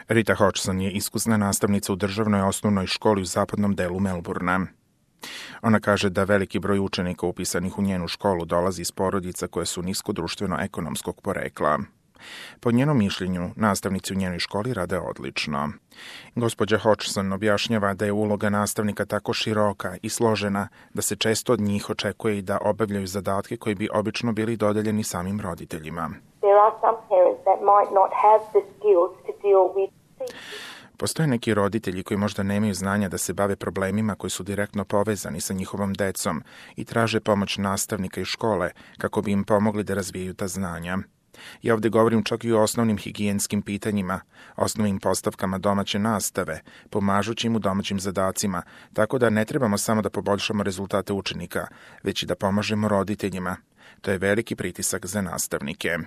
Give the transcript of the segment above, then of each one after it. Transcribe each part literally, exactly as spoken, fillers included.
Rita Hodgson je iskusna nastavnica u državnoj osnovnoj školi u zapadnom delu Melbourna. Ona kaže da veliki broj učenika upisanih u njenu školu dolazi iz porodica koje su nisko društveno-ekonomskog porekla. Po njenom mišljenju, nastavnici u njenoj školi rade odlično. Gospođa Hodgson objašnjava da je uloga nastavnika tako široka i složena da se često od njih očekuje i da obavljaju zadatke koji bi obično bili dodeljeni samim roditeljima. There are some parents that might not have the skills to deal with. Postoje neki roditelji koji možda nemaju znanja da se bave problemima koji su direktno povezani sa njihovom decom i traže pomoć nastavnika i škole kako bi im pomogli da razvijaju ta znanja. Ja ovdje govorim čak i o osnovnim higijenskim pitanjima, osnovnim postavkama domaće nastave, pomažući im u domaćim zadacima, tako da ne trebamo samo da poboljšamo rezultate učenika, već i da pomažemo roditeljima. To je veliki pritisak za nastavnike.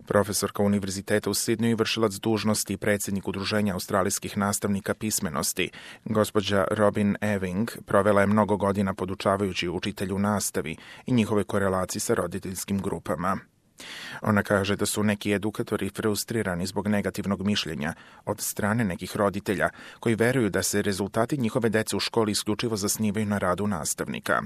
Profesorka Univerziteta u Sidneju i vršilac dužnosti i predsjednik Udruženja australijskih nastavnika pismenosti, gospođa Robin Ewing, provela je mnogo godina podučavajući učitelju u nastavi i njihove korelaciji sa roditeljskim grupama. Ona kaže da su neki edukatori frustrirani zbog negativnog mišljenja od strane nekih roditelja koji veruju da se rezultati njihove dece u školi isključivo zasnivaju na radu nastavnika.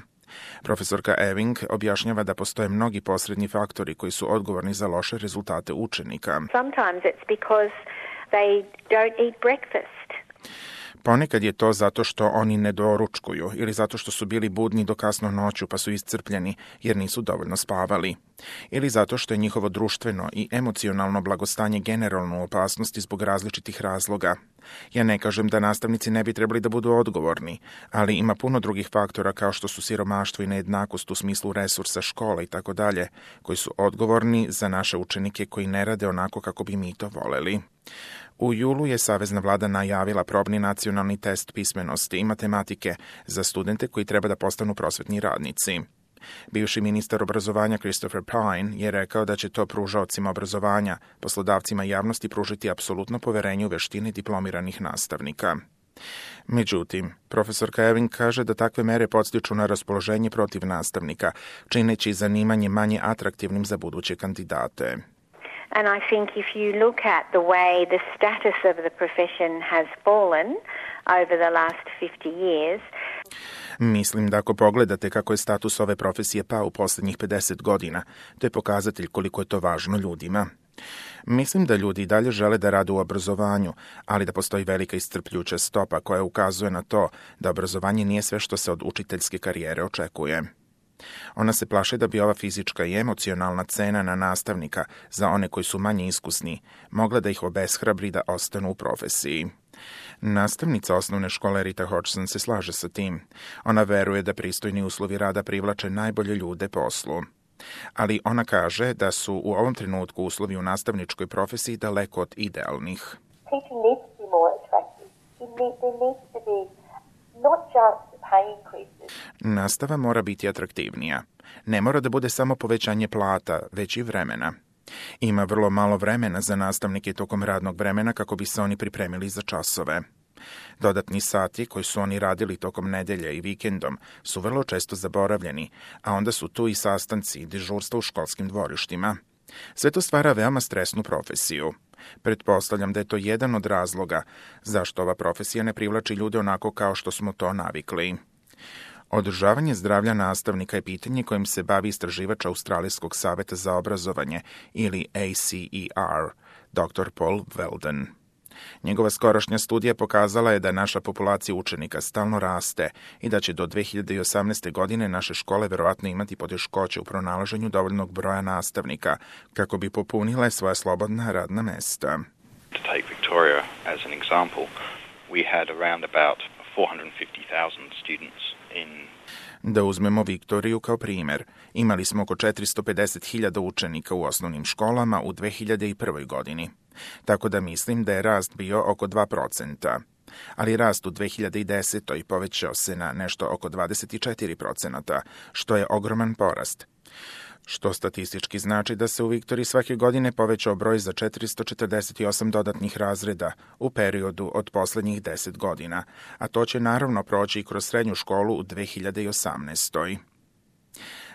Profesorka Ewing objašnjava da postoje mnogi posredni faktori koji su odgovorni za loše rezultate učenika. Sometimes it's because they don't eat breakfast. Ponekad je to zato što oni ne doručkuju ili zato što su bili budni do kasno noću pa su iscrpljeni jer nisu dovoljno spavali. Ili zato što je njihovo društveno i emocionalno blagostanje generalno u opasnosti zbog različitih razloga. Ja ne kažem da nastavnici ne bi trebali da budu odgovorni, ali ima puno drugih faktora kao što su siromaštvo i nejednakost u smislu resursa škole i tako dalje, koji su odgovorni za naše učenike koji ne rade onako kako bi mi to voleli. U julu je Savezna vlada najavila probni nacionalni test pismenosti i matematike za studente koji treba da postanu prosvetni radnici. Bivši ministar obrazovanja Christopher Pyne je rekao da će to pružaocima obrazovanja, poslodavcima i javnosti pružiti apsolutno poverenje u veštine diplomiranih nastavnika. Međutim, profesorka Ewing kaže da takve mere podstiču na raspoloženje protiv nastavnika, čineći zanimanje manje atraktivnim za buduće kandidate. And I think if you look at the way the status of the profession has fallen over the last fifty years, Mislim da ako pogledate kako je status ove profesije pao u posljednjih pedeset godina, to je pokazatelj koliko je to važno ljudima. Mislim da ljudi i dalje žele da rade u obrazovanju, ali da postoji velika iscrpljuća stopa koja ukazuje na to da obrazovanje nije sve što se od učiteljske karijere očekuje. Ona se plaši da bi ova fizička i emocionalna cena na nastavnika za one koji su manje iskusni mogla da ih obeshrabri da ostanu u profesiji. Nastavnica osnovne škole Rita Hodgson se slaže sa tim. Ona veruje da pristojni uslovi rada privlače najbolje ljude poslu. Ali ona kaže da su u ovom trenutku uslovi u nastavničkoj profesiji daleko od idealnih. teaching needs to be more attractive. It need, there needs to be not just pay increases. Nastava mora biti atraktivnija. Ne mora da bude samo povećanje plata, već i vremena. Ima vrlo malo vremena za nastavnike tokom radnog vremena kako bi se oni pripremili za časove. Dodatni sati koji su oni radili tokom nedelje i vikendom su vrlo često zaboravljeni, a onda su tu i sastanci i dežurstva u školskim dvorištima. Sve to stvara veoma stresnu profesiju. Pretpostavljam da je to jedan od razloga zašto ova profesija ne privlači ljude onako kao što smo to navikli. Održavanje zdravlja nastavnika je pitanje kojim se bavi istraživač Australijskog saveta za obrazovanje ili A C E R, doktor Paul Weldon. Njegova skorašnja studija pokazala je da naša populacija učenika stalno raste i da će do dve hiljade osamnaeste. godine naše škole verovatno imati poteškoće u pronalaženju dovoljnog broja nastavnika kako bi popunile svoja slobodna radna mesta. To take Victoria as an example, we had around about four hundred fifty thousand students in Da uzmemo Viktoriju kao primjer. Imali smo oko četiristo pedeset hiljada učenika u osnovnim školama u dve hiljade prvoj. godini. Tako da mislim da je rast bio oko dva procenta. Ali rast u dve hiljade desetoj. povećao se na nešto oko dvadeset četiri procenta, što je ogroman porast. Što statistički znači da se u Viktoriji svake godine povećao broj za četiristo četrdeset osam dodatnih razreda u periodu od posljednjih deset godina, a to će naravno proći i kroz srednju školu u dve hiljade osamnaestoj.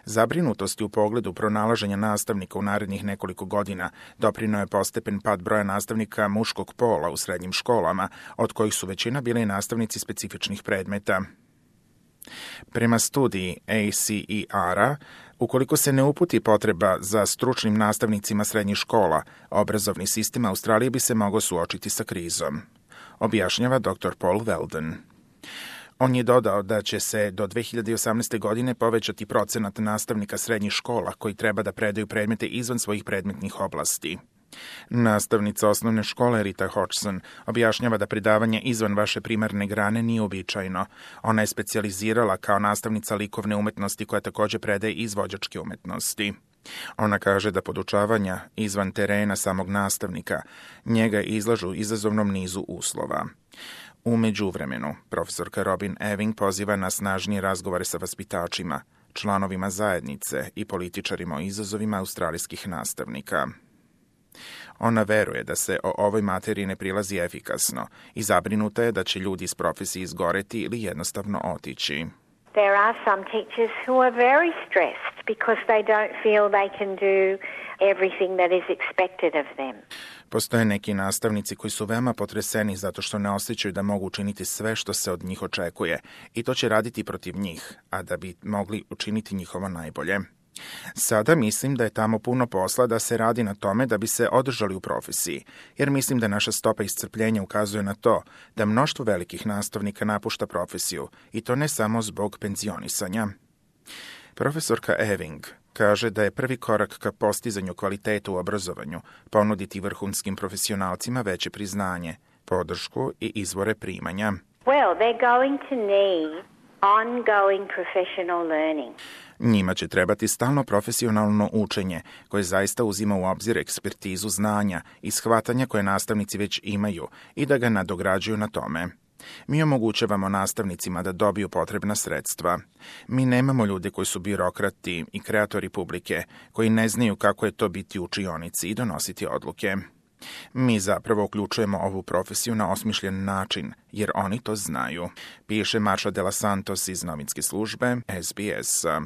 Zabrinutosti u pogledu pronalaženja nastavnika u narednih nekoliko godina doprineo je postepen pad broja nastavnika muškog pola u srednjim školama, od kojih su većina bili nastavnici specifičnih predmeta. Prema studiji A C E R-a, ukoliko se ne uputi potreba za stručnim nastavnicima srednjih škola, obrazovni sistem Australije bi se mogao suočiti sa krizom, objašnjava doktor Paul Weldon. On je dodao da će se do dve hiljade osamnaeste. godine povećati procenat nastavnika srednjih škola koji treba da predaju predmete izvan svojih predmetnih oblasti. Nastavnica osnovne škole Rita Hodgson objašnjava da predavanje izvan vaše primarne grane nije uobičajeno. Ona je specijalizirala kao nastavnica likovne umetnosti koja takođe predaje izvođačke umetnosti. Ona kaže da podučavanja izvan terena samog nastavnika njega izlažu izazovnom nizu uslova. U međuvremenu, profesorka Robin Ewing poziva na snažnije razgovore sa vaspitačima, članovima zajednice i političarima o izazovima australijskih nastavnika. Ona veruje da se o ovoj materiji ne prilazi efikasno i zabrinuta je da će ljudi iz profesije izgoreti ili jednostavno otići. There are some teachers who are very stressed because they don't feel they can do everything that is expected of them. Postoje neki nastavnici koji su veoma potreseni zato što ne osjećaju da mogu učiniti sve što se od njih očekuje i to će raditi protiv njih, a da bi mogli učiniti njihovo najbolje. Sada mislim da je tamo puno posla da se radi na tome da bi se održali u profesiji, jer mislim da naša stopa iscrpljenja ukazuje na to da mnoštvo velikih nastavnika napušta profesiju i to ne samo zbog penzionisanja. Profesorka Ewing kaže da je prvi korak ka postizanju kvaliteta u obrazovanju ponuditi vrhunskim profesionalcima veće priznanje, podršku i izvore primanja. Well, they're going to need ongoing professional learning. Njima će trebati stalno profesionalno učenje koje zaista uzima u obzir ekspertizu znanja i shvatanja koje nastavnici već imaju i da ga nadograđuju na tome. Mi omogućavamo nastavnicima da dobiju potrebna sredstva. Mi nemamo ljude koji su birokrati i kreatori publike, koji ne znaju kako je to biti u učionici i donositi odluke. Mi zapravo uključujemo ovu profesiju na osmišljen način, jer oni to znaju, piše Marsha de la Santos iz novinske službe S B S-a.